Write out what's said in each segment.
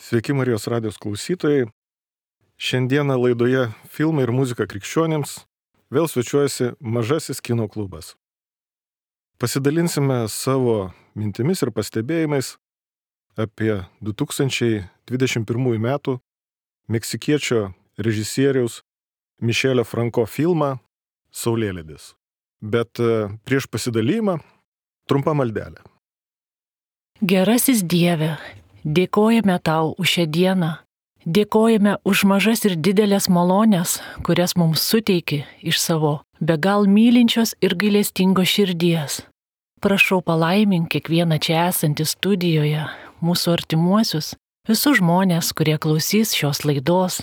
Sveiki Marijos radijos klausytojai. Šiandieną laidoje Filmai ir muzika krikščionims vėl svečiuojasi Mažasis kino klubas. Pasidalinsime savo mintimis ir pastebėjimais apie 2021 metų meksikiečio režisieriaus Mišelio Franko filmą Saulėlydis. Bet prieš pasidalymą trumpa maldelė. Gerasis Dieve, dėkojame Tau už šią dieną. Dėkojame už mažas ir didelės malonės, kurias mums suteiki iš savo be gal mylinčios ir gailestingos širdies. Prašau palaimink kiekvieną čia esantį studijoje, mūsų artimuosius, visus žmonės, kurie klausys šios laidos.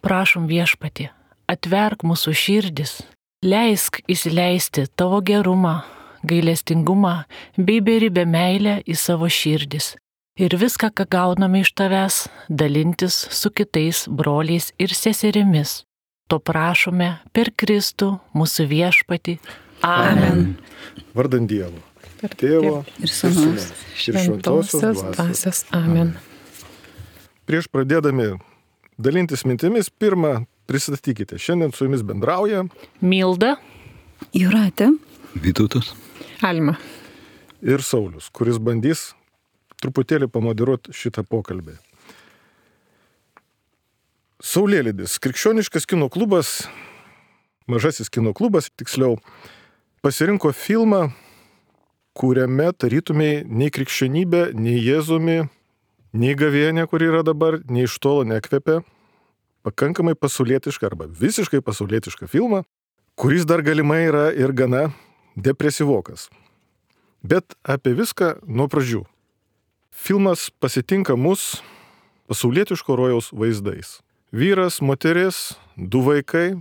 Prašom Viešpatie, atverk mūsų širdis, leisk įsileisti Tavo gerumą, gailestingumą bei beribę meilę į savo širdis. Ir viską, ką gauname iš Tavęs, dalintis su kitais broliais ir seserimis. To prašome per Kristų, mūsų Viešpatį. Amen. Vardant Dievo, Tėvo ir Sūnaus ir Šventosios Dvasios. Amen. Prieš pradėdami dalintis mintimis, pirmą pristatykite. Šiandien su jumis bendrauja Milda, Jūratė, Vytautas, Alma. ir Saulius, kuris bandys truputėlį pamoderuoti šitą pokalbį. Saulėlydis. Krikščioniškas kino klubas, Mažasis kino klubas, tiksliau, pasirinko filmą, kuriame tarytumei nei krikščionybė, nei Jėzumi, nei gavėnė, kur yra dabar, nei iš tolo nekvepia, pakankamai pasaulietišką arba visiškai pasaulietišką filmą, kuris dar galimai yra ir gana depresyvokas. Bet apie viską nuo pradžių. Filmas pasitinka mus pasaulietiško rojaus vaizdais. Vyras, moteris, 2 vaikai,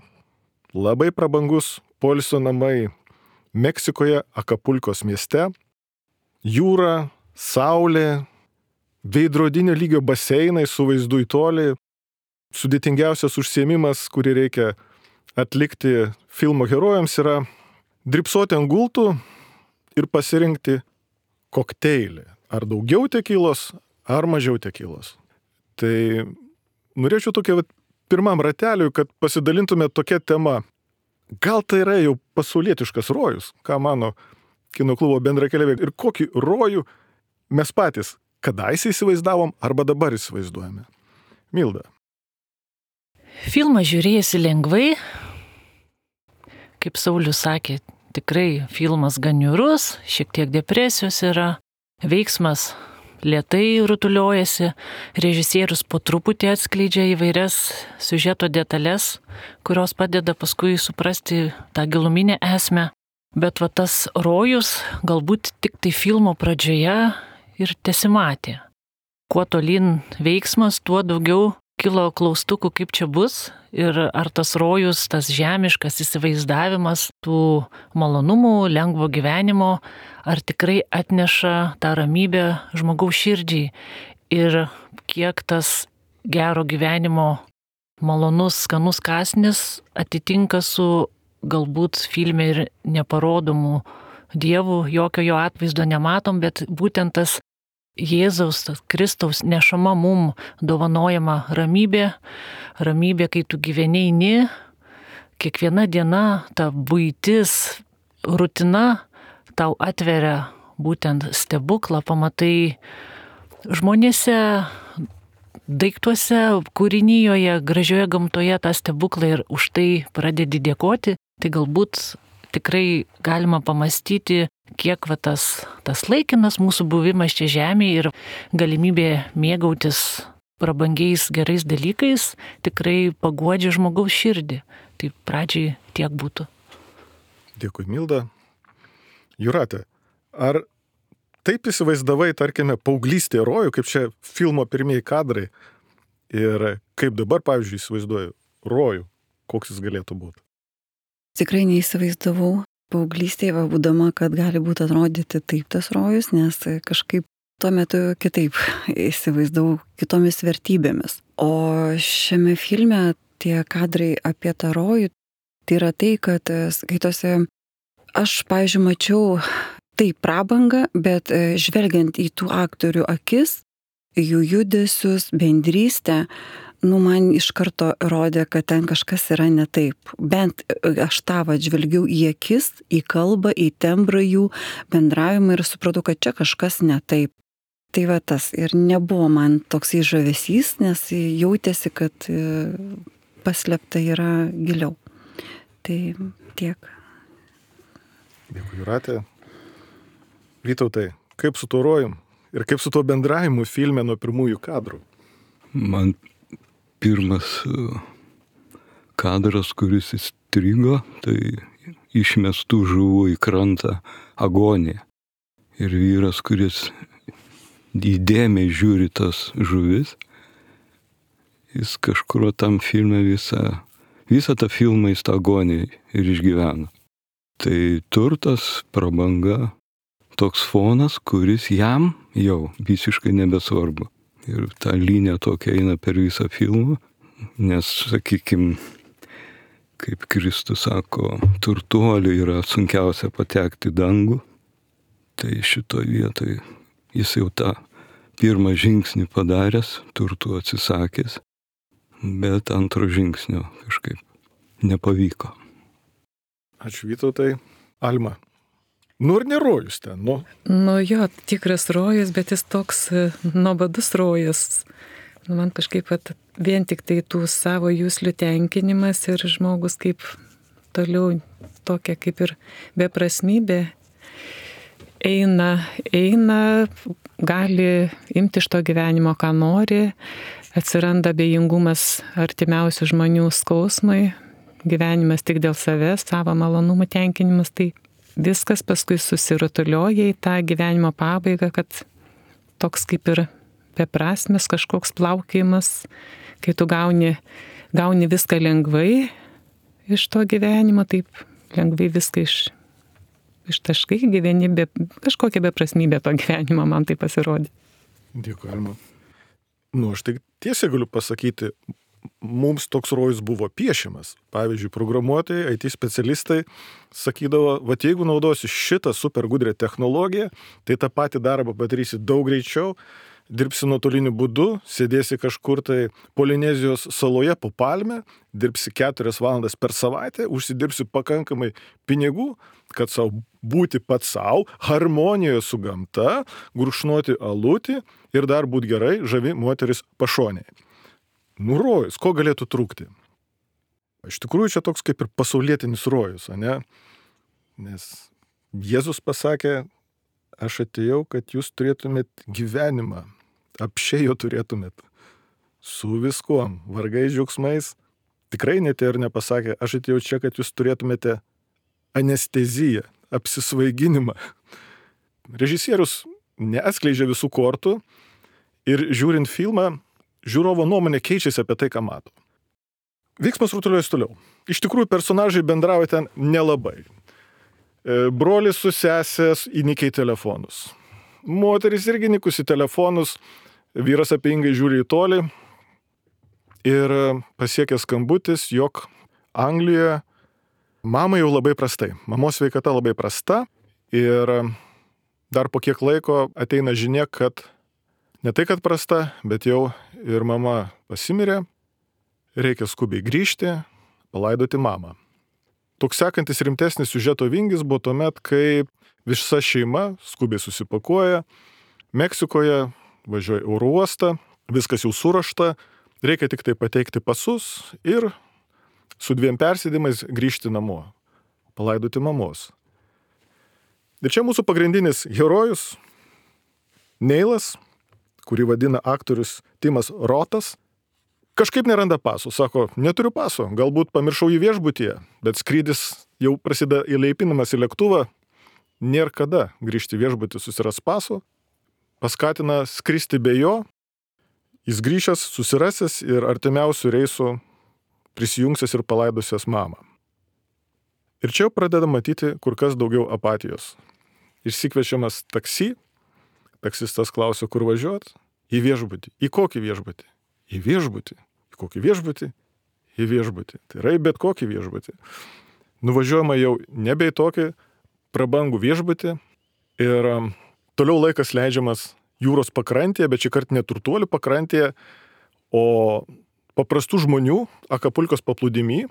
labai prabangus poilsio namai Meksikoje, Akapulkos mieste, jūra, saulė, veidrodinio lygio baseinai su vaizdu į tolį, sudėtingiausias užsiėmimas, kurį reikia atlikti filmo herojams, yra drybsoti ant gultų ir pasirinkti kokteilį. Ar daugiau tekilos, ar mažiau tekilos. Tai norėčiau tokia pirmam rateliui, kad pasidalintume tokia tema. Gal tai yra jau pasaulietiškas rojus, ką mano kino klubo bendrakeleviai, ir kokį rojų mes patys kadaise įsivaizdavom arba dabar įsivaizduojame. Milda. filmą žiūrėjusi lengvai, kaip Saulius sakė, tikrai filmas gan niūrus, šiek tiek depresijos yra. Veiksmas lėtai rutuliojasi, režisierius po truputį atskleidžia įvairias siužeto detalės, kurios padeda paskui suprasti tą giluminę esmę. Bet tas rojus galbūt tik tai filmo pradžioje ir tesimatė. Kuo tolyn veiksmas, tuo daugiau kilo klaustukų, kaip čia bus ir ar tas rojus, tas žemiškas įsivaizdavimas tų malonumų, lengvo gyvenimo, ar tikrai atneša tą ramybę žmogaus širdžiai ir kiek tas gero gyvenimo malonus, skanus kąsnis atitinka su galbūt filme ir neparodomų dievų, jokio jo atvaizdo nematom, bet būtent tas Jėzaus, tas Kristaus nešama mum dovanojama ramybė, kai tu gyveni, kiekviena diena, ta buitis, rutina tau atveria būtent stebuklą, pamatai žmonėse, daiktuose, kūrinyjoje, gražioje gamtoje tą stebuklą ir už tai pradedi dėkoti, tai galbūt tikrai galima pamastyti, kiek tas laikinas mūsų buvimas čia žemėje ir galimybė mėgautis prabangiais gerais dalykais tikrai paguodžia žmogaus širdį. Tai pradžiai tiek būtų. Dėkui, Milda. Jūratė, ar taip įsivaizdavai, tarkime, paauglystėje rojų, kaip čia filmo pirmieji kadrai, ir kaip dabar, pavyzdžiui, įsivaizduoju rojų, koks jis galėtų būti? Tikrai neįsivaizdavau paauglystėje, būdama, kad gali būti atrodyti taip tas rojus, nes kažkaip tuo metu kitaip įsivaizdavau kitomis vertybėmis. O šiame filme tie kadrai apie tą rojų, tai yra tai, kad skaitose aš, pavyzdžiui, mačiau tai prabangą, bet žvelgiant į tų aktorių akis, jų judesius, bendrystę, man iš karto rodė, kad ten kažkas yra ne taip. Bent aš tą žvelgiau į akis, į kalbą, į tembrą jų bendravimą ir supratau, kad čia kažkas ne taip. Tai va tas ir nebuvo man toksai žavesys, nes jautėsi, kad paslėpta yra giliau. Tai tiek. Dėkui, Jūratė. Vytautai, kaip su tuo rojum ir kaip su tuo bendravimu filme nuo pirmųjų kadrų? Man pirmas kadras, kuris įstrigo, tai išmestų žuvų į krantą agonija. Ir vyras, kuris įdėmiai žiūri tas žuvis, jis kažkur tam filme visą tą filmą jis tą agoniją ir išgyvena. Tai turtas, prabanga, toks fonas, kuris jam jau visiškai nebesvarbu. Ir ta linija tokia eina per visą filmą, nes, sakykime, kaip Kristus sako, turtuoliui yra sunkiausia patekti į dangų, tai šitoje vietoje jis jau tą pirmą žingsnį padaręs, turtų atsisakęs, bet antro žingsnio kažkaip nepavyko. Ačiū, Vytautai. Alma. Ir nerojus ten, Jo, tikras rojus, bet jis toks nuobodus rojus. Man kažkaip vien tik tai tų savo juslių tenkinimas ir žmogus kaip toliau tokia kaip ir beprasmybė eina, gali imti iš to gyvenimo, ką nori, atsiranda abejingumas artimiausių žmonių skausmai, gyvenimas tik dėl savęs, savo malonumų tenkinimas, tai viskas paskui susirutulioja į tą gyvenimo pabaigą, kad toks kaip ir beprasmis kažkoks plaukėjimas, kai tu gauni viską lengvai iš to gyvenimo, taip lengvai viską ištaškai, gyveni kažkokia beprasmybė to gyvenimo, man tai pasirodė. Dėkui, Alma. Aš tik tiesiai galiu pasakyti, mums toks rojus buvo piešiamas. Pavyzdžiui, programuotojai, IT specialistai sakydavo, jeigu naudosi šitą super gudrę technologiją, tai tą patį darbą padarysi daug greičiau, dirbsi nuotoliniu būdu, sėdėsi kažkur tai Polinezijos saloje po palme, dirbsi 4 valandas per savaitę, užsidirbsi pakankamai pinigų, kad būti pats savo, harmonijoje su gamta, gurkšnoti alutį ir dar būti gerai, žavi moteris pašonėje. Rojus, ko galėtų trūkti? Iš tikrųjų, čia toks kaip ir pasaulietinis rojus, ne? Nes Jėzus pasakė, aš atėjau, kad jūs turėtumėt gyvenimą, apšiai jo turėtumėt, su viskuom, vargais, džiaugsmais. Tikrai netėjo ir nepasakė, aš atėjau čia, kad jūs turėtumėte anesteziją, apsisvaiginimą. Režisierius neatskleidžia visų kortų ir žiūrint filmą, žiūrovo nuomonė keičiasi apie tai, ką mato. Veiksmas rutuliuojas toliau. Iš tikrųjų, personažai bendrauja ten nelabai. Brolis su sesės įnikę į telefonus. Moteris irgi įnikus į telefonus, vyras apeingai žiūri į tolį ir pasiekė skambutis, jog Anglijoje mamai jau labai prastai. Mamos sveikata labai prasta ir dar po kiek laiko ateina žinia, kad ne tai, kad prasta, bet jau ir mama pasimirė, reikia skubiai grįžti, palaidoti mamą. Toks sekantis rimtesnis siužeto vingis buvo tuomet, kai visa šeima skubiai susipakuoja, Meksikoje važiuoja oro uostą, viskas jau surašta, reikia tik tai pateikti pasus ir su 2 persėdimais grįžti namo, palaidoti mamos. Ir čia mūsų pagrindinis herojus, Neilas, kurį vadina aktorius Timas Rotas, kažkaip neranda paso. Sako, neturiu paso, galbūt pamiršau jį viešbutyje, bet skrydis jau prasideda įleipinimas į lėktuvą, nėra kada grįžti viešbutį susiras paso, paskatina skristi be jo, jis grįžęs, susirasęs ir artimiausių reisų prisijungsias ir palaidusias mamą. Ir čia jau pradeda matyti kur kas daugiau apatijos. Išsikviečiamas taksi, taksistas klausia, kur važiuot? Į viešbutį. Į kokį viešbutį? Į viešbutį. Į kokį viešbutį? Į viešbutį. Tai yra į bet kokį viešbutį. Nuvažiuojama jau nebe į tokį prabangų viešbutį ir toliau laikas leidžiamas jūros pakrantėje, bet šį kartą ne turtuolių pakrantėje, o paprastų žmonių Akapulkos paplūdimy.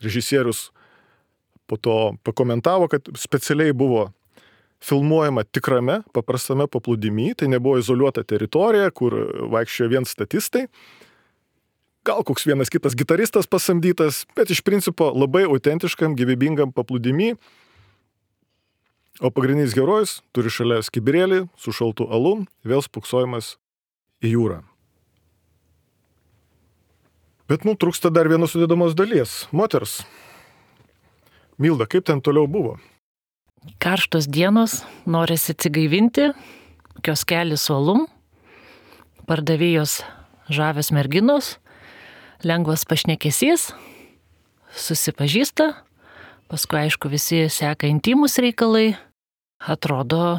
Režisierius po to pakomentavo, kad specialiai buvo filmuojama tikrame, paprastame paplūdimy, tai nebuvo izoliuota teritorija, kur vaikščiojo vien statistai. Gal koks vienas kitas gitaristas pasamdytas, bet iš principo labai autentiškam, gyvybingam paplūdimy. O pagrindinis herojus turi šalia skibirėlį su šaltu alum, vėl spuksojimas į jūrą. Bet trūksta dar vienos sudėdamos dalies. Moters. Milda, kaip ten toliau buvo? Karštos dienos, norisi atsigaivinti, kioskelis su alum, pardavėjos žavios merginos, lengvas pašnekesys, susipažįsta, paskui aišku visi seka intimus reikalai, atrodo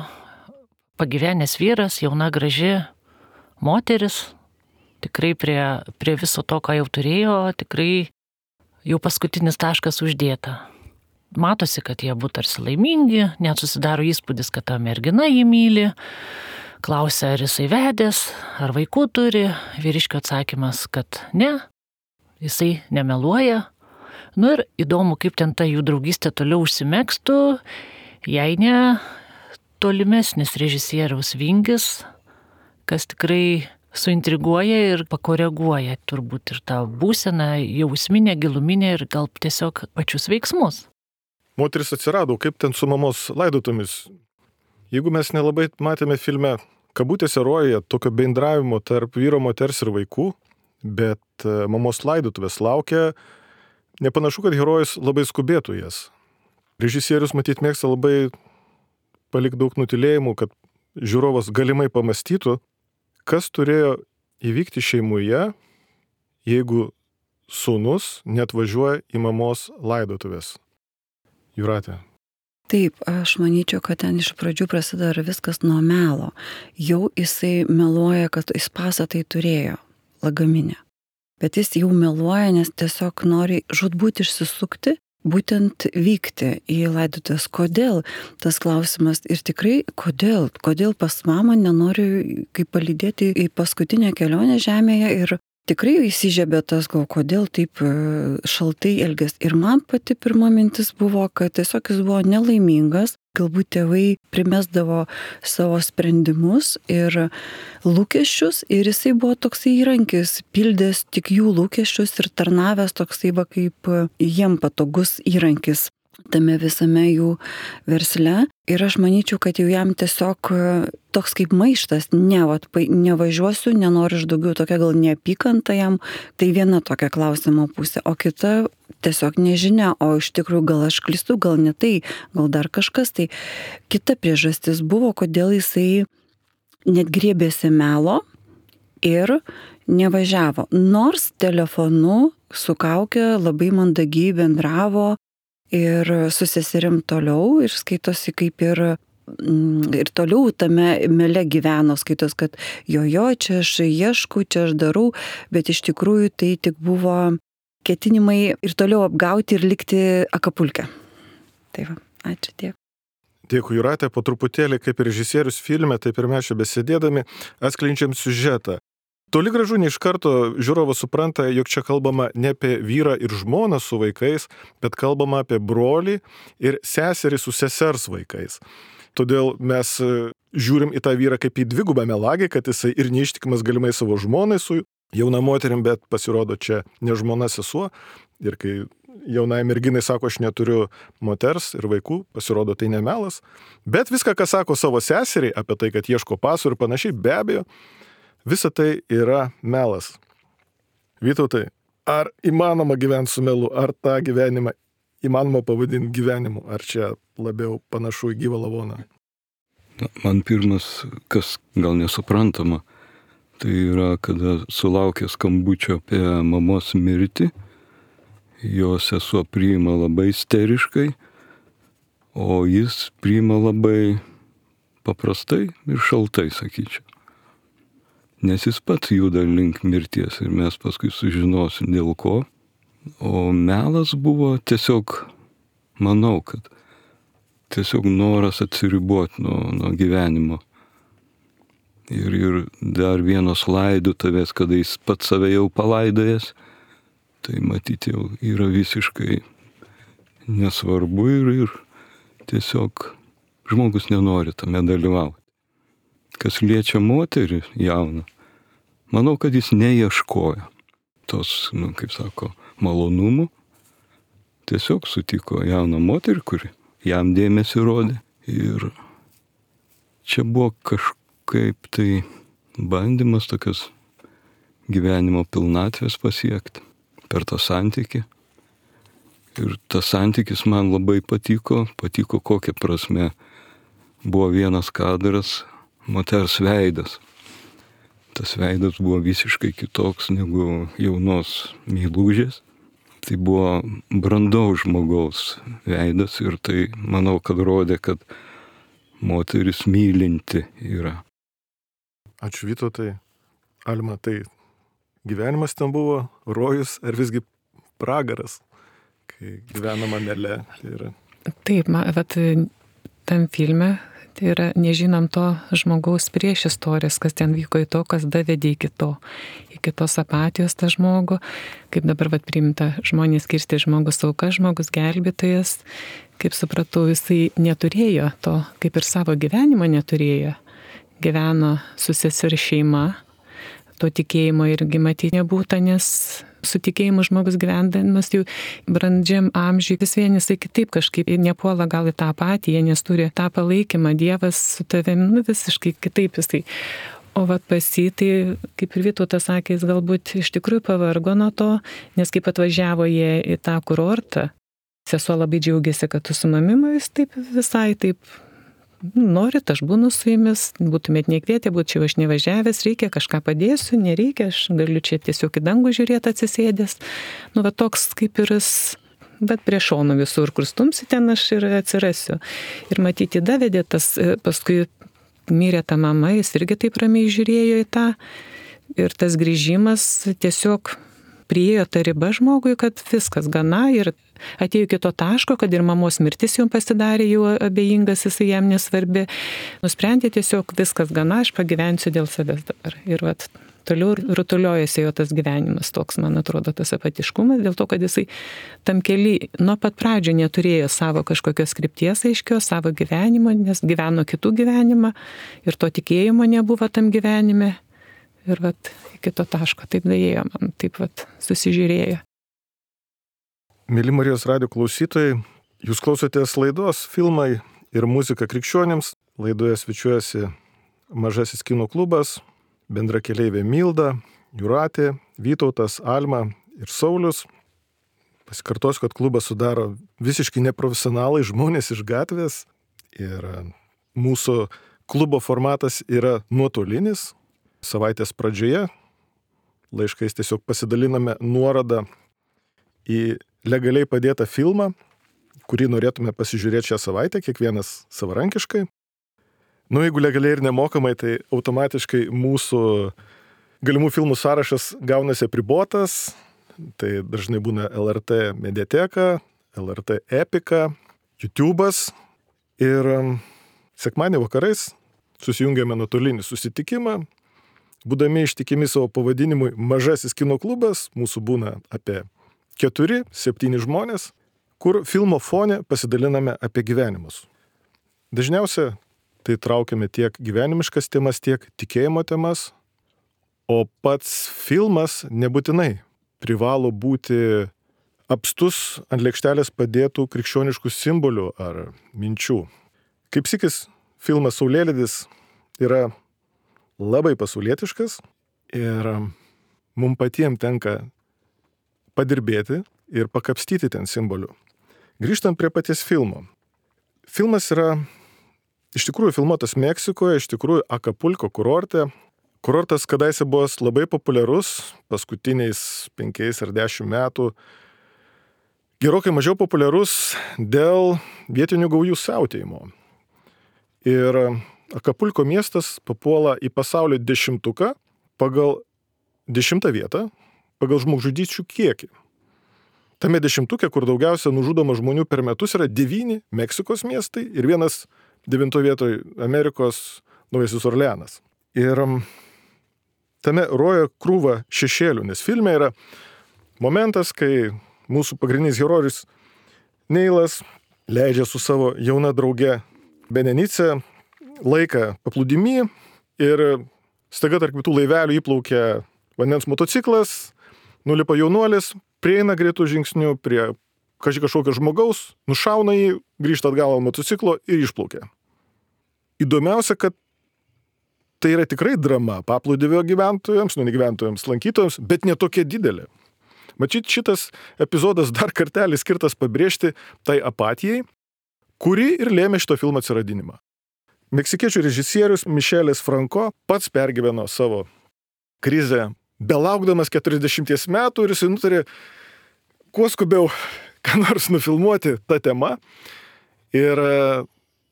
pagyvenęs vyras, jauna graži moteris, tikrai prie viso to, ką jau turėjo, tikrai jau paskutinis taškas uždėta. Matosi, kad jie būtų tarsi laimingi, net susidaro įspūdis, kad ta mergina jį myli, klausia, ar jisai vedęs, ar vaikų turi, vyriškio atsakymas, kad ne, jisai nemeluoja. Ir įdomu, kaip ten ta jų draugystė toliau užsimegstų, jei ne tolimesnis režisieriaus vingis, kas tikrai suintriguoja ir pakoreguoja turbūt ir tą būseną, jausminę, giluminę ir gal tiesiog pačius veiksmus. Moteris atsirado, kaip ten su mamos laidotomis. Jeigu mes nelabai matėme filme kabutėse rojuje tokio bendravimo tarp vyro, moters ir vaikų, bet mamos laidotuvės laukia, nepanašu, kad herojus labai skubėtų jas. Režisierius matyt mėgsta labai palikti daug nutylėjimų, kad žiūrovas galimai pamastytų, kas turėjo įvykti šeimoje, jeigu sūnus neatvažiuoja į mamos laidotuvės. Jūratė. Taip, aš manyčiau, kad ten iš pradžių prasideda viskas nuo melo. Jau jisai meluoja, kad jis pasą tai turėjo lagaminę. Bet jis jau meluoja, nes tiesiog nori žūtbūt išsisukti, būtent vykti į laidotuvės. Kodėl tas klausimas ir tikrai kodėl pas mamą nenori kaip palydėti į paskutinę kelionę žemėje ir tikrai įsižiebė tas, kodėl taip šaltai elgės. Ir man pati pirma mintis buvo, kad tiesiog jis buvo nelaimingas, galbūt tėvai primesdavo savo sprendimus ir lūkesčius ir jisai buvo toksai įrankis, pildęs tik jų lūkesčius ir tarnavęs toksai kaip jiem patogus įrankis tame visame jų versle. Ir aš manyčiau, kad jau jam tiesiog toks kaip maištas, nevažiuosiu, nenoriu aš daugiau, tokia gal neapykanta jam, tai viena tokia klausimo pusė, o kita tiesiog nežinia, o iš tikrųjų gal aš klystu, gal ne tai, gal dar kažkas, tai kita priežastis buvo, kodėl jisai net griebėsi melo ir nevažiavo, nors telefonu su kauke labai mandagiai bendravo ir su seserim toliau ir skaitosi kaip ir toliau tame mele gyveno, skaitos, kad jo, čia aš ieškau, čia aš darau, bet iš tikrųjų tai tik buvo ketinimai ir toliau apgauti ir likti Akapulke. Tai va, ačiū tiek. Dėkui, Jūratė, po truputėlį kaip ir režisierius filme, taip ir mes čia besėdėdami atskleidžiam siužetą. Toli gražu ne iš karto žiūrovas supranta, jog čia kalbama ne apie vyrą ir žmoną su vaikais, bet kalbama apie brolį ir seserį su sesers vaikais. Todėl mes žiūrim į tą vyrą kaip į dvigubą melagį, kad jisai ir neištikimas galimai savo žmonai su jauna moterim, bet pasirodo čia ne žmona sesuo. Ir kai jaunai merginai sako, aš neturiu moters ir vaikų, pasirodo tai nemelas. Bet viską, ką sako savo seseriai apie tai, kad ieško pasų ir panašiai, be abejo, visa tai yra melas. Vytautai, ar įmanoma gyventi su melu, ar tą gyvenimą įmanoma pavadinti gyvenimu, ar čia labiau panašu į gyvą lavoną? Man pirmas, kas gal nesuprantama, tai yra, kada sulaukė skambučio apie mamos mirtį, jo sesuo priima labai isteriškai, o jis priima labai paprastai ir šaltai, sakyčiau. Nes jis pats juda link mirties ir mes paskui sužinosim dėl ko. O melas buvo tiesiog, manau, kad tiesiog noras atsiriboti nuo gyvenimo. ir dar vienos laidotuvės, kada jis pats save jau palaidojęs, tai matyti jau yra visiškai nesvarbu ir tiesiog žmogus nenori tame dalyvauti. Kas liečia moterį jauną, manau, kad jis neieškojo tos, kaip sako, malonumų. Tiesiog sutiko jauną moterį, kuri jam dėmesį rodė. Ir čia buvo kažkaip tai bandymas tokios gyvenimo pilnatvės pasiekti per tą santykį. Ir tas santykis man labai patiko kokia prasme. Buvo vienas kadras, moters veidas. Tas veidas buvo visiškai kitoks negu jaunos meilužės. Tai buvo brandaus žmogaus veidas ir tai, manau, kad rodė, kad moteris mylinti yra. Ačiū Vytautai. Alma, tai gyvenimas ten buvo rojus ar visgi pragaras, kai gyvenama meile? Taip, vat tam filme tai yra nežinom to žmogaus prieš istorijas, kas ten vyko į to, kas davedė iki tos apatijos tą žmogų, kaip dabar priimta žmonės skirsti žmogus auka, žmogus gelbėtojas, kaip supratau, jisai neturėjo to, kaip ir savo gyvenimo neturėjo, gyveno su sesers šeima, to tikėjimo irgi matyti nebūta, nes su tikėjimu žmogus gyvendamas jau brandžiam amžiui vis vien jisai kitaip kažkaip nepuola gal į tą apatiją, nes turi tą palaikymą, Dievas su tavimi visiškai kitaip jisai. O pas jį, tai kaip ir Vytautas sakė, jis galbūt iš tikrųjų pavargo nuo to, nes kaip atvažiavo jie į tą kurortą, sesuo labai džiaugiasi, kad tu su mamima, jis taip visai taip norit, aš būnu su jumis, būtumėt nekvietę, būčiau aš nevažiavęs, reikia kažką padėsiu, nereikia, aš galiu čia tiesiog į dangų žiūrėti atsisėdęs. Toks kaip ir jis, bet prie šono visur, kur stumsi, ten aš ir atsirasiu. Ir matyti davedė tas, paskui mirė ta mama, jis irgi taip ramiai žiūrėjo į tą. Ir tas grįžimas tiesiog priėjo ta riba žmogui, kad viskas gana ir atėjo iki to taško, kad ir mamos mirtis jums pasidarė jau abejingas, jisai jam nesvarbi. Nusprendė tiesiog viskas gana, aš pagyvensiu dėl savęs dabar. Ir toliau rutuliojasi jo tas gyvenimas toks, man atrodo, tas apatiškumas, dėl to, kad jisai tam keli nuo pat pradžio neturėjo savo kažkokios krypties aiškios, savo gyvenimo, nes gyveno kitų gyvenimą ir to tikėjimo nebuvo tam gyvenime. Ir iki to taško taip daėjo man, taip susižiūrėjo. Mėly Marijos radijo klausytojai, jūs klausotės laidos Filmai ir muzika krikščionims. Laidoje svečiuojasi Mažasis kino klubas, bendrakeleivė Milda, Jūratė, Vytautas, Alma ir Saulius. Pasikartosiu, kad klubą sudaro visiškai neprofesionalai, žmonės iš gatvės. Ir mūsų klubo formatas yra nuotolinis. Savaitės pradžioje laiškais tiesiog pasidaliname nuorodą į legaliai padėtą filmą, kurį norėtume pasižiūrėti šią savaitę, kiekvienas savarankiškai. Jeigu legaliai ir nemokamai, tai automatiškai mūsų galimų filmų sąrašas gaunasi apribotas. Tai dažnai būna LRT Mediateka, LRT Epika, YouTube'as. Ir sekmadienį vakarais susijungiame nuotolinį susitikimą. Būdami ištikimi savo pavadinimui Mažasis kino klubas, mūsų būna apie 4-7 žmonės, kur filmo fone pasidaliname apie gyvenimus. Dažniausiai tai traukiame tiek gyvenimiškas temas, tiek tikėjimo temas, o pats filmas nebūtinai privalo būti apstus ant lėkštelės padėtų krikščioniškų simbolių ar minčių. Kaip sykis filmas Saulėlydis yra labai pasaulietiškas ir mums patiems tenka padirbėti ir pakapstyti ten simbolių. Grįžtant prie paties filmo. Filmas yra iš tikrųjų filmuotas Meksikoje, iš tikrųjų Akapulko kurorte. Kurortas kadaise buvo labai populiarus, paskutiniais 5 ar 10 metų. Gerokai mažiau populiarus dėl vietinių gaujų siautėjimo. Ir Akapulko miestas papuola į pasaulio 10 pagal 10 vietą, pagal žmogžudysčių kiekį. Tame 10, kur daugiausia nužudoma žmonių per metus, yra 9 Meksikos miestai ir vienas 9 vietoj Amerikos Naujasis Orleanas. Ir tame roja krūva šešėlių, nes filme yra momentas, kai mūsų pagrindinis herojus Neilas leidžia su savo jauna drauge Benenice laiką paplūdimy ir staiga tarp kitų laivelių įplaukia vandens motociklas, nulipa jaunuolis, prieina greitų žingsnių prie kažkokio žmogaus, nušauna jį, grįžta atgal ant motociklo ir išplaukia. Įdomiausia, kad tai yra tikrai drama paplūdimio gyventojams, ne gyventojams, lankytojams, bet ne tokia didelė. Matyt, šitas epizodas dar kartelį skirtas pabrėžti tai apatijai, kuri ir lėmė šito filmo atsiradinimą. Meksikiečių režisierius Mišelis Franco pats pergyveno savo krizę, belaukdamas 40 metų ir jis nutarė kuo skubiau ką nors nufilmuoti tą temą. Ir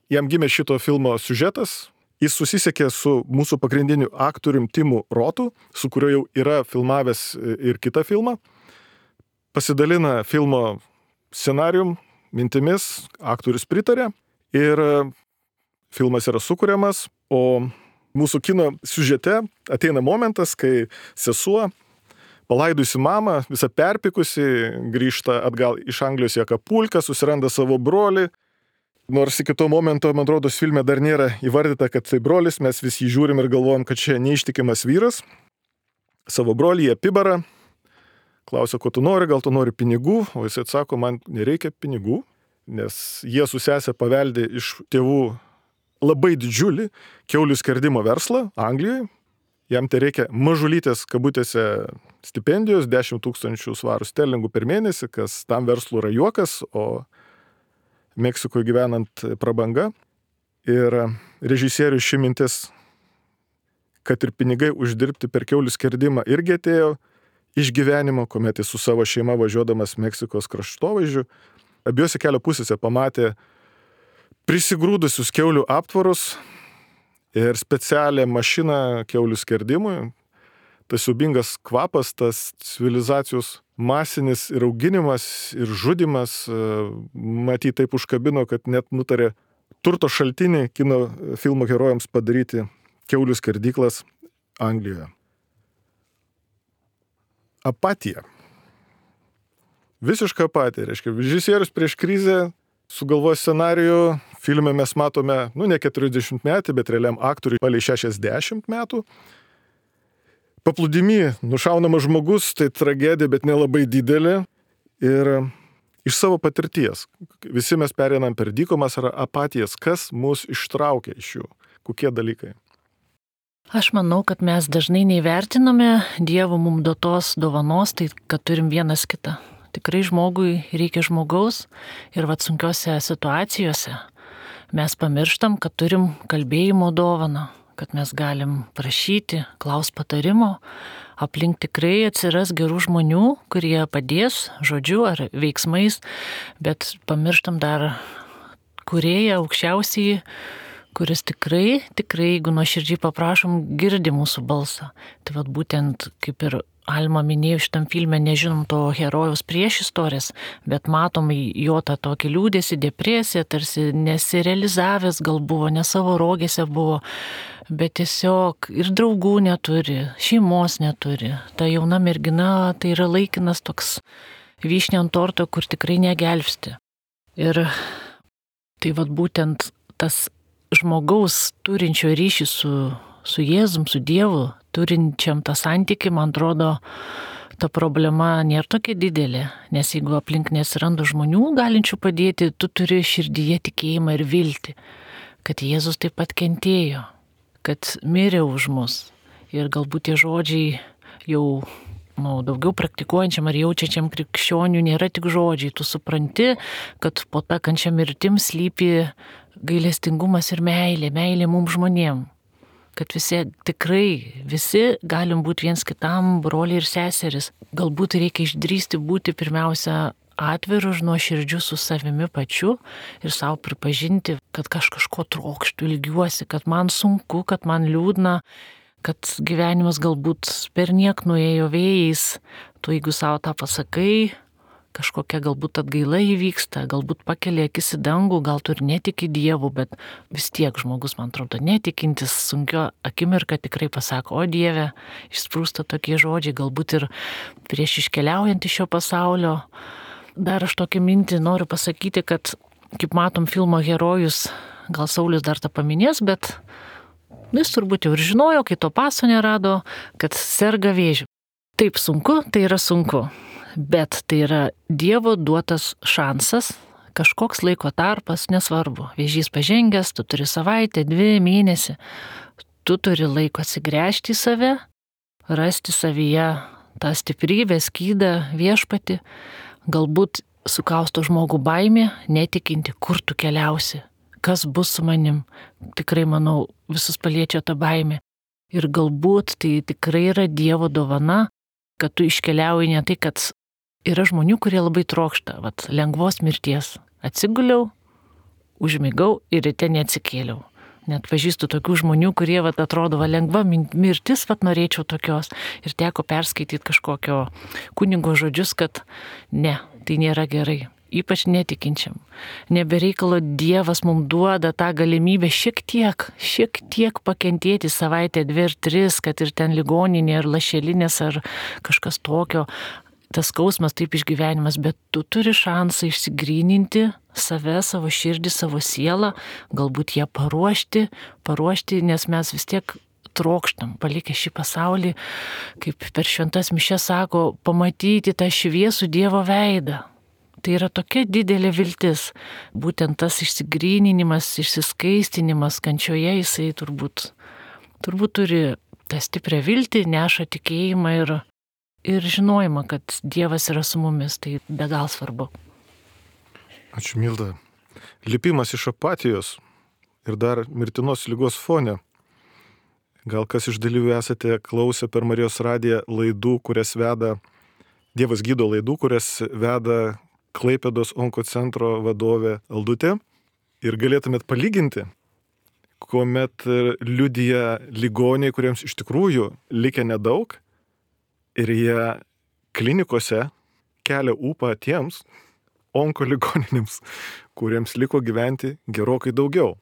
jam gimė šito filmo siužetas. Jis susisiekė su mūsų pagrindiniu aktorium Timu Rotu, su kuriuo jau yra filmavęs ir kitą filmą. Pasidalina filmo scenarijum, mintimis, aktorius pritarė ir filmas yra sukuriamas, o mūsų kino siužete ateina momentas, kai sesuo, palaidusi mamą, visą perpikusi, grįžta atgal iš Anglijos į Akapulką, susiranda savo brolį. Nors iki to momento, man atrodo, filme dar nėra įvardyta, kad tai brolis, mes vis jį žiūrim ir galvojam, kad čia neištikimas vyras. Savo brolį apibarą, klausia, ko tu nori, gal tu nori pinigų, o jis atsako, man nereikia pinigų, nes jie su sese paveldė iš tėvų labai didžiulį kiaulių skerdimo verslą Anglijoje. Jam tai reikia mažulytės kabutėse stipendijos, 10 000 svarų sterlingų per mėnesį, kas tam verslų yra juokas, o Meksikoje gyvenant prabanga. Ir režisierius ši mintis, kad ir pinigai uždirbti per kiaulių skerdimą irgi atėjo iš gyvenimo, kuomet jis su savo šeima važiuodamas Meksikos kraštovaizdžiu, abiejose kelio pusėse pamatė prisigrūdusius kiaulių aptvarus ir specialią mašiną kiaulių skerdimui. Tas siaubingas kvapas, tas civilizacijos masinis ir auginimas ir žudimas, matyt, taip užkabino, kad net nutarė turto šaltinį kino filmo herojams padaryti kiaulių skerdyklas Anglijoje. Apatija. Visiška apatija. Reiškia, režisierius prieš krizę sugalvoja scenarijų, filme mes matome, ne 40 metų, bet realiam aktoriui palei 60 metų. Paplūdimy nušaunamas žmogus, tai tragedija, bet nelabai didelė. Ir iš savo patirties, visi mes pereinam per dykumas ar apatijas, kas mus ištraukia iš jų, kokie dalykai. Aš manau, kad mes dažnai neįvertiname Dievo mums duotos dovanos, tai kad turim vienas kitą. Tikrai žmogui reikia žmogaus ir sunkiose situacijose mes pamirštam, kad turim kalbėjimo dovaną, kad mes galim prašyti, klaus patarimo, aplink tikrai atsiras gerų žmonių, kurie padės žodžiu ar veiksmais, bet pamirštam dar Kūrėją aukščiausiai, kuris tikrai, jeigu nuoširdžiai paprašom, girdi mūsų balsą. Tai būtent, kaip ir Alma minėjo šitam filme, nežinom to herojaus priešistorės, bet matom jo tą tokį liūdėsi, depresiją, tarsi nesirealizavęs gal buvo, ne savo rogėse buvo, bet tiesiog ir draugų neturi, šeimos neturi. Ta jauna mergina, tai yra laikinas toks vyšnė ant torto, kur tikrai negelbsti. Ir tai būtent tas žmogaus turinčio ryšį su Jėzum, su Dievu, turinčiam tą santykį, man atrodo, ta problema nėra tokia didelė, nes jeigu aplink nesiranda žmonių galinčių padėti, tu turi širdyje tikėjimą ir viltį, kad Jėzus taip pat kentėjo, kad mirė už mus. Ir galbūt tie žodžiai jau daugiau praktikuojančiam ar jaučiančiam krikščionių nėra tik žodžiai. Tu supranti, kad po tą kančią mirtim slypi gailestingumas ir meilė mums žmonėm. Kad visi galim būti viens kitam broliai ir seseris. Galbūt reikia išdrįsti būti pirmiausia atviru ir nuoširdžiu su savimi pačiu ir savo pripažinti, kad kažko trokštų, ilgiuosi, kad man sunku, kad man liūdna, kad gyvenimas galbūt perniek nuėjo vėjais. Tu jeigu savo tą pasakai, kažkokia galbūt atgaila įvyksta, galbūt pakelia akis į dangų, gal tu ir netiki Dievu, bet vis tiek žmogus, man atrodo, netikintis sunkio akimirką tikrai pasako, o Dieve, išsprūsta tokie žodžiai, galbūt ir prieš iškeliaujant iš šio pasaulio. Dar aš tokią mintį noriu pasakyti, kad, kaip matom, filmo herojus, gal Saulius dar tą paminės, bet jis turbūt jau ir žinojo, kai to paso nerado, kad serga vėžiu. Taip sunku, tai yra sunku, bet tai yra Dievo duotas šansas, kažkoks laiko tarpas, nesvarbu. Vėžys pažengęs, tu turi savaitę, 2 mėnesį, tu turi laiko atsigręžti į save, rasti savyje tą stiprybę, skydą, viešpatį, galbūt sukausto žmogų baimė, netikinti, kur tu keliausi. Kas bus su manim, tikrai manau, visus paliečia ta baimė. Ir galbūt tai tikrai yra Dievo dovana, kad tu iškeliauji ne tai, kad yra žmonių, kurie labai trokšta, lengvos mirties. Atsiguliau, užmigau ir ryte neatsikėliau. Net pažįstu tokių žmonių, kurie atrodo, lengva mirtis, norėčiau tokios. Ir teko perskaityti kažkokio kunigo žodžius, kad ne, tai nėra gerai. Ypač netikinčiam. Nebereikalo Dievas mums duoda tą galimybę šiek tiek pakentėti savaitę, 2 ar 3, kad ir ten ligoninė, ar lašelinės, ar kažkas tokio. Tas skausmas, taip išgyvenimas, bet tu turi šansą išsigryninti save, savo širdį, savo sielą, galbūt ją paruošti, nes mes vis tiek trokštam, palikę šį pasaulį, kaip per šventas mišias sako, pamatyti tą šviesų Dievo veidą. Tai yra tokia didelė viltis. Būtent tas išsigryninimas, išsiskaistinimas kančioje, jisai turbūt turi tą stiprią viltį, neša tikėjimą ir žinojimą, kad Dievas yra su mumis. Tai be gal svarbu. Ačiū, Milda. Lipimas iš apatijos ir dar mirtinos ligos fone. Gal kas iš dalyvių esate klausę per Marijos radiją laidų, kurias veda Dievas gydo laidų, kurias veda Klaipėdos onkocentro vadovė Aldutė, ir galėtumėt palyginti, kuomet liudija ligoniai, kuriems iš tikrųjų likę nedaug, ir jie klinikose kelia ūpą tiems onkoligoninėms, kuriems liko gyventi gerokai daugiau.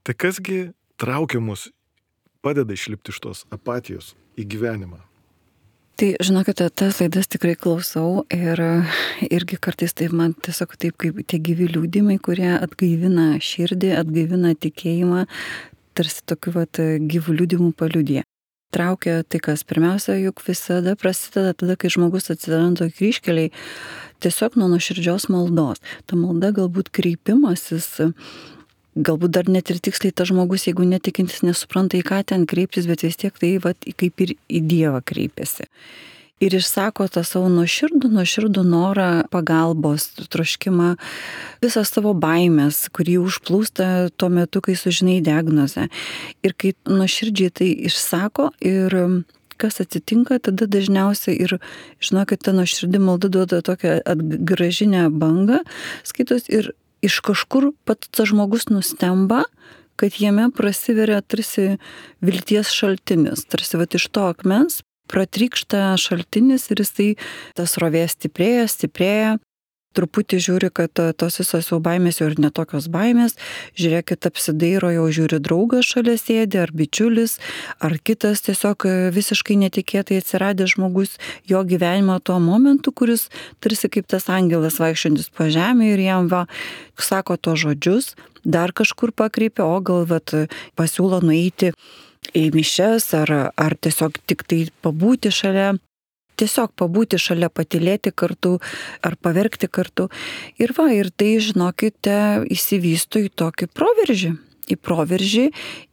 Tai kasgi traukia mus, padeda išlipti iš tos apatijos į gyvenimą? Tai žinokite, tas laidas tikrai klausau ir irgi kartais taip man tiesiog taip kaip tie gyvi liūdimai, kurie atgaivina širdį, atgaivina tikėjimą, tarsi tokiu gyvų liūdimų paliudė. Traukia tai, kas pirmiausia, juk visada prasideda tada, kai žmogus atsiranda kryžkeliai, tiesiog nuo nuoširdžios maldos. Ta malda galbūt kreipimasis, galbūt dar net ir tiksliai tas žmogus, jeigu netikintis, nesupranta, į ką ten kreiptis, bet vis tiek tai kaip ir į Dievą kreipiasi. Ir išsako tą savo nuoširdų norą, pagalbos, troškimą, visą savo baimės, kurį užplūsta tuo metu, kai sužinai diagnozę. Ir kai nuoširdžiai tai išsako ir kas atsitinka, tada dažniausiai ir, žinokit, ta nuoširdi malda duoda tokią atgražinę bangą, skaitos, ir iš kažkur pats tas žmogus nustemba, kad jame prasiveria tarsi vilties šaltinis, tarsi iš to akmens pratrykšta šaltinis ir jisai tas srovė stiprėja, truputį žiūri, kad tos visos jau baimės jau ir netokios baimės, žiūrėkit, apsidairo, jau žiūri draugas šalia sėdi, ar bičiulis, ar kitas tiesiog visiškai netikėtai atsiradęs žmogus jo gyvenimo tuo momentu, kuris tarsi kaip tas angelas vaikščiojantis po žemę ir jam sako to žodžius, dar kažkur pakreipia, o gal pasiūlo nueiti į mišias, ar tiesiog tik tai pabūti šalia. Tiesiog pabūti šalia, patylėti kartu ar paverkti kartu. Ir tai, žinokite, įsivysto į tokį proveržį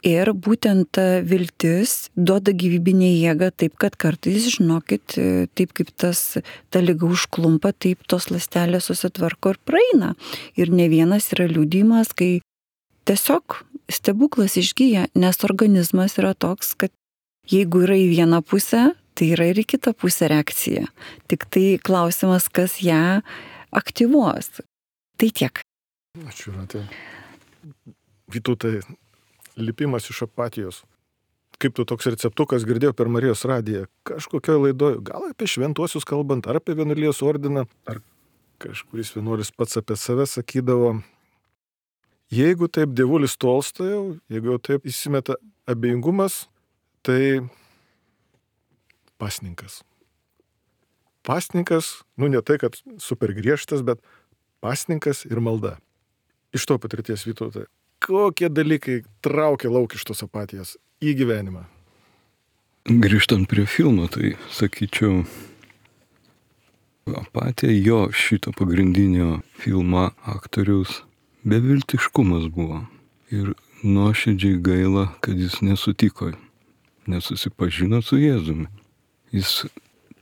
ir būtent ta viltis duoda gyvybinę jėgą taip, kad kartais, žinokit, taip kaip ta liga užklumpa, taip tos ląstelės susitvarko ir praeina. Ir ne vienas yra liudijimas, kai tiesiog stebuklas išgyja, nes organizmas yra toks, kad jeigu yra į vieną pusę, tai yra ir į kitą pusę reakcija. Tik tai klausimas, kas ją aktyvuos. Tai tiek. Ačiū, Renate. Vytautai, lipimas iš apatijos. kaip tu toks receptukas girdėjau per Marijos radiją, kažkokioje laidoje, gal apie šventuosius kalbant, ar apie vienuolijos ordiną, ar kažkuris vienuolis pats apie save sakydavo, jeigu taip dievulis tolsta jau, jeigu jau taip įsimeta abejingumas, tai pasninkas. Pasninkas, ne tai, kad super griežtas, bet pasninkas ir malda. Iš to patirties, Vytautai, kokie dalykai traukia lauk iš tos apatijos į gyvenimą? Grįžtant prie filmo, tai sakyčiau, apatija jo šito pagrindinio filmo aktoriaus beviltiškumas buvo. Ir nuoširdžiai gaila, kad jis nesusipažino su Jėzumi. Jis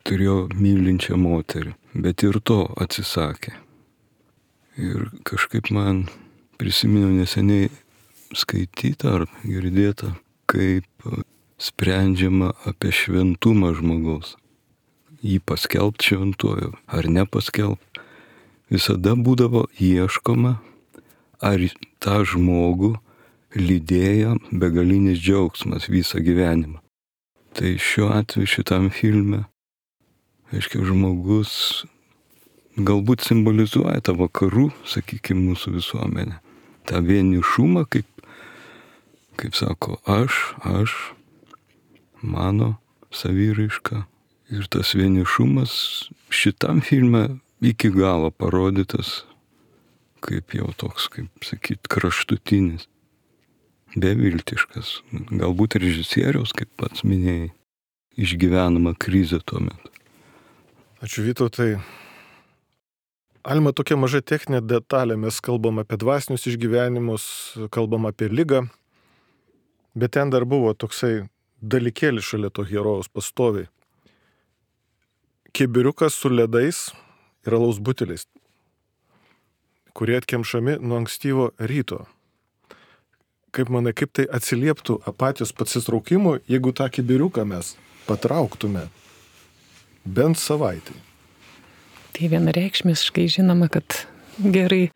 turėjo mylinčią moterį, bet ir to atsisakė. Ir kažkaip man prisiminiau neseniai skaitytą ar girdėtą, kaip sprendžiama apie šventumą žmogaus. Jį paskelbti šventuoju ar nepaskelbti. Visada būdavo ieškoma, ar tą žmogų lydėjo begalinis džiaugsmas visą gyvenimą. Tai šiuo atveju šitam filme, aiškiai, žmogus galbūt simbolizuoja tą vakarų, sakykime, mūsų visuomenę. tą vienišumą, kaip sako, aš, mano saviraiška. Ir tas vienišumas šitam filme iki galo parodytas kaip jau toks, kaip sakyt, kraštutinis, beviltiškas. Galbūt režisieriaus, kaip pats minėjai, išgyvenama krizė tuo metu. Ačiū, Vytautai. Alma, tokia maža techninė detalė, mes kalbam apie dvasinius išgyvenimus, kalbam apie ligą, bet ten dar buvo toksai dalykėlis šalia to herojaus pastoviai. Kibiriukas su ledais ir alaus buteliais, kurie atkemšami nuo ankstyvo ryto. Kaip manai, kaip tai atsilieptų apatijos pasitraukimui, jeigu tą kibiriuką mes patrauktume bent savaitę? Tai vienareikšmiškai žinoma, kad gerai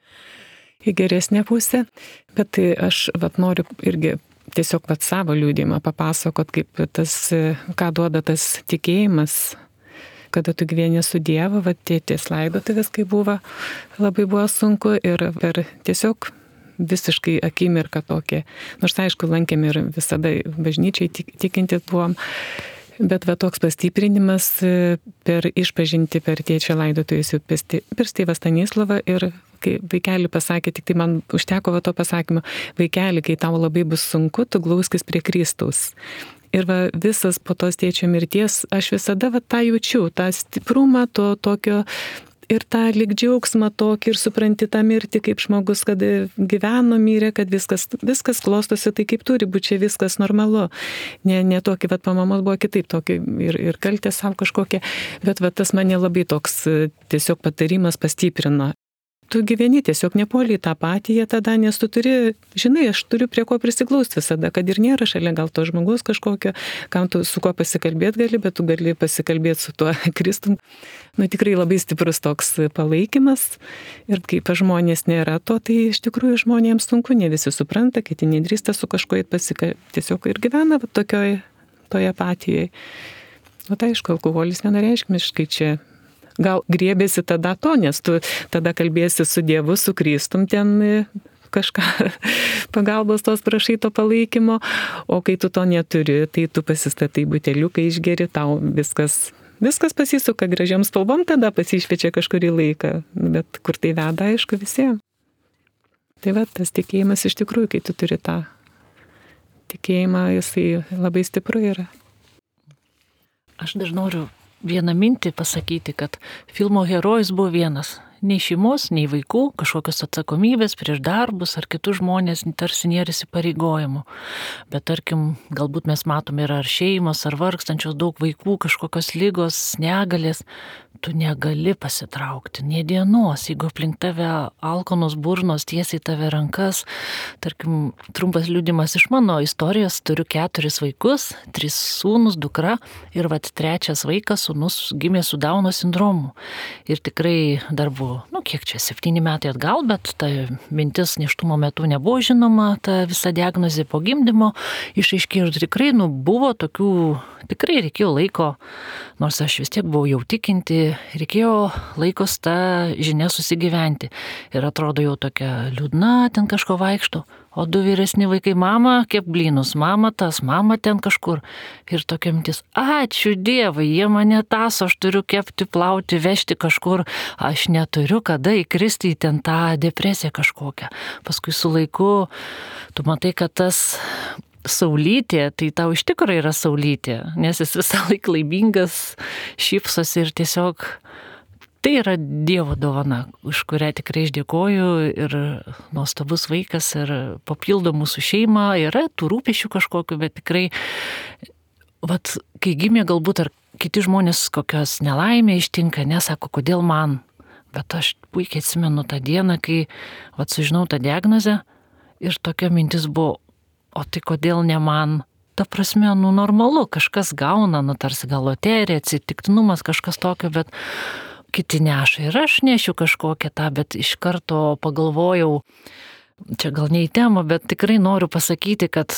į geresnę pusę, bet tai aš noriu irgi tiesiog savo liudijimą papasakot, kaip tas, ką duoda tas tikėjimas, kada tu gyveni su Dievu, tėtės laidotuvės, kai buvo, labai buvo sunku ir per tiesiog visiškai akimirką tokia. Nors aišku, lankėm ir visada bažnyčiai tikintis buvom, bet toks pastiprinimas per išpažinti per tėčio laidotuvės per tėvą Stanislavą ir kai vaikeli pasakė, tik tai man užteko to pasakymo, vaikeli, kai tau labai bus sunku, tu glauskis prie Kristaus. Ir visas po tos tėčio mirties, aš visada tą jaučiu, tą stiprumą, to tokio ir tą lyg džiaugsmą tokį ir supranti tą mirtį kaip žmogus, kad gyveno, mirė, kad viskas klostosi, tai kaip turi būti, čia viskas normalu. Ne tokį, pamamos buvo kitaip, tokį ir kaltė savo kažkokią, bet tas mane labai toks tiesiog patarimas pastiprino. Tu gyveni, tiesiog nepuoli tą apatiją tada, nes tu turi, žinai, aš turiu prie ko prisiglausti visada, kad ir nėra šalia gal to žmogaus kažkokio, kam tu su kuo pasikalbėti gali, bet tu gali pasikalbėti su tuo Kristum. Tikrai labai stiprus toks palaikymas ir kai pas žmonės nėra to, tai iš tikrųjų žmonėms sunku, ne visi supranta, kiti nedrįsta su kažkuo tiesiog ir gyvena toje apatijoje. Aišku, alkoholis vienareikšmiškai čia gal griebėsi tada to, nes tu tada kalbėsi su Dievu, su Kristum, ten kažką pagalbos tos prašai to palaikymo, o kai tu to neturi, tai tu pasistatai buteliuką, išgeri, tau viskas pasisuka gražiam spalvom, tada pasišviečia kažkurį laiką, bet kur tai veda, aišku, visiems. Tai tas tikėjimas iš tikrųjų, kai tu turi tą tikėjimą, jisai labai stipru yra. Aš dar noriu vieną mintį pasakyti, kad filmo herojus buvo vienas. Nei šeimos, nei vaikų, kažkokios atsakomybės prieš darbus ar kitus žmonės tarsi nėra įsipareigojimų. Bet tarkim, galbūt mes matome ir ar šeimos, ar vargstančios daug vaikų, kažkokios ligos, negalės. Tu negali pasitraukti, nė dienos, jeigu aplink tave alkanos burnos tiesiai tave rankas. Tarkim, trumpas liudimas iš mano istorijos, turiu 4 vaikus, 3 sūnus, dukra ir 3 vaikas, sūnus, gimė su Dauno sindromu. Ir tikrai dar buvo kiek čia, 7 metai atgal, bet ta mintis nėštumo metu nebuvo žinoma, ta visa diagnozė po gimdymo išaiškėjo ir tikrai, buvo tokių, tikrai reikėjo laiko, nors aš vis tiek buvau jau tikinti, reikėjo laikos tą žinią susigyventi. Ir atrodo jau tokia liūdna, ten kažko vaikšto. O 2 vyresni vaikai, mama, kep blynus, mama tas, mama ten kažkur. Ir tokia mintis, ačiū Dievui, jie mane taso, aš turiu kepti, plauti, vežti kažkur, aš neturiu kada įkristi į ten tą depresiją kažkokią. Paskui su laiku, tu matai, kad tas saulytė, tai tau iš tikrųjų yra saulytė, nes jis visą laiką laimingas, šypsosi ir tiesiog tai yra Dievo dovana, už kurią tikrai išdėkoju ir nuostabus vaikas ir papildo mūsų šeimą, yra tų rūpesčių kažkokiu, bet tikrai, kai gimė galbūt ar kiti žmonės kokios nelaimė ištinka, nesako, kodėl man, bet aš puikiai atsimenu tą dieną, kai sužinau tą diagnozę ir tokia mintis buvo, o tai kodėl ne man? Ta prasme, normalu, kažkas gauna, tarsi gal loterija, atsitiktinumas, kažkas tokio, bet kiti neša ir aš nešiu kažkokią tą, bet iš karto pagalvojau, čia gal ne į temą, bet tikrai noriu pasakyti, kad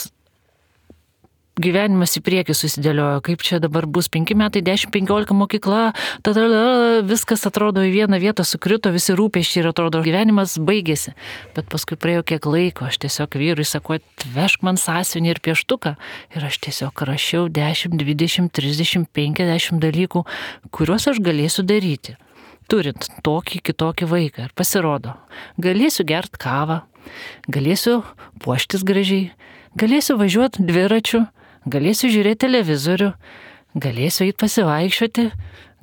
gyvenimas į priekį susidėliojo, kaip čia dabar bus 5 metai, 10-15 mokykla, tada viskas atrodo į vieną vietą sukrito, visi rūpesčiai ir atrodo gyvenimas baigėsi. Bet paskui praėjo kiek laiko, aš tiesiog vyrui sakau, atvežk man sąsiuvinį ir pieštuką ir aš tiesiog rašiau 10, 20, 30, 50 dalykų, kuriuos aš galėsiu daryti, turint tokį kitokį vaiką. Ir pasirodo, galėsiu gert kavą, galėsiu puoštis gražiai, galėsiu važiuoti dviračiu, galėsiu žiūrėti televizorių, galėsiu eiti pasivaikščioti,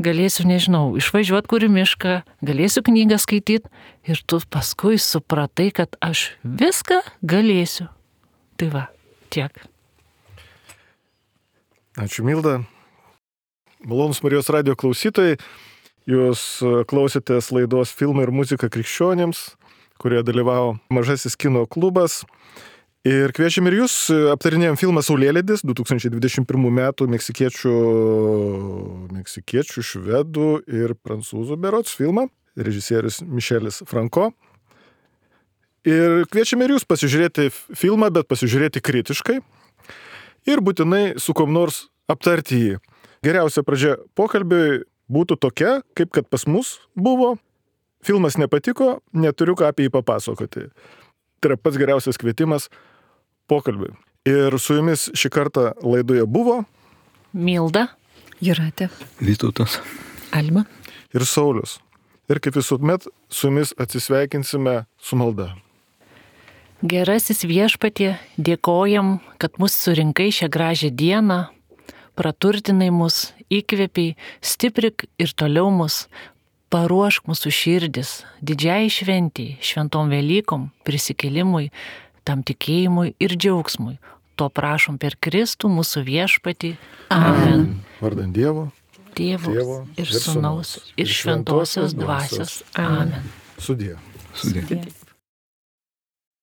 galėsiu, nežinau, išvažiuoti kur į mišką, galėsiu knygą skaityti ir tu paskui supratai, kad aš viską galėsiu. Tai va, tiek. Ačiū Milda. Malonūs Marijos radijo klausytojai, jūs klausėtės laidos Filmai ir muzika krikščionims, kurioje dalyvavo Mažasis kino klubas. Ir kviečiam ir jūs, aptarinėjom filmą Saulėlydis, 2021 metų meksikiečių, švedų ir prancūzų berods filmą, režisierius Mišelis Franko. Ir kviečiam ir jūs pasižiūrėti filmą, bet pasižiūrėti kritiškai ir būtinai su kom nors aptarti jį. Geriausia pradžia pokalbiui būtų tokia, kaip kad pas mus buvo. Filmas nepatiko, neturiu ką apie jį papasakoti. Tai yra pats geriausias kvietimas pokalbiui. Ir su jumis šį kartą laidoje buvo Milda, Jūratė, Vytautas, Alma ir Saulius. Ir kaip visuomet su jumis atsisveikinsime su malda. Gerasis Viešpatie, dėkojam, kad mus surinkai šią gražią dieną, praturtinai mus, įkvėpiai, stiprik ir toliau mus, paruošk mūsų širdis didžiai šventijai, šventom Velykom, prisikėlimui, tam tikėjimui ir džiaugsmui. To prašom per Kristų mūsų Viešpatį. Amen. Vardant Dievo, Tėvo ir Sūnaus ir Šventosios Dvasios. Amen. Sudie. sudė.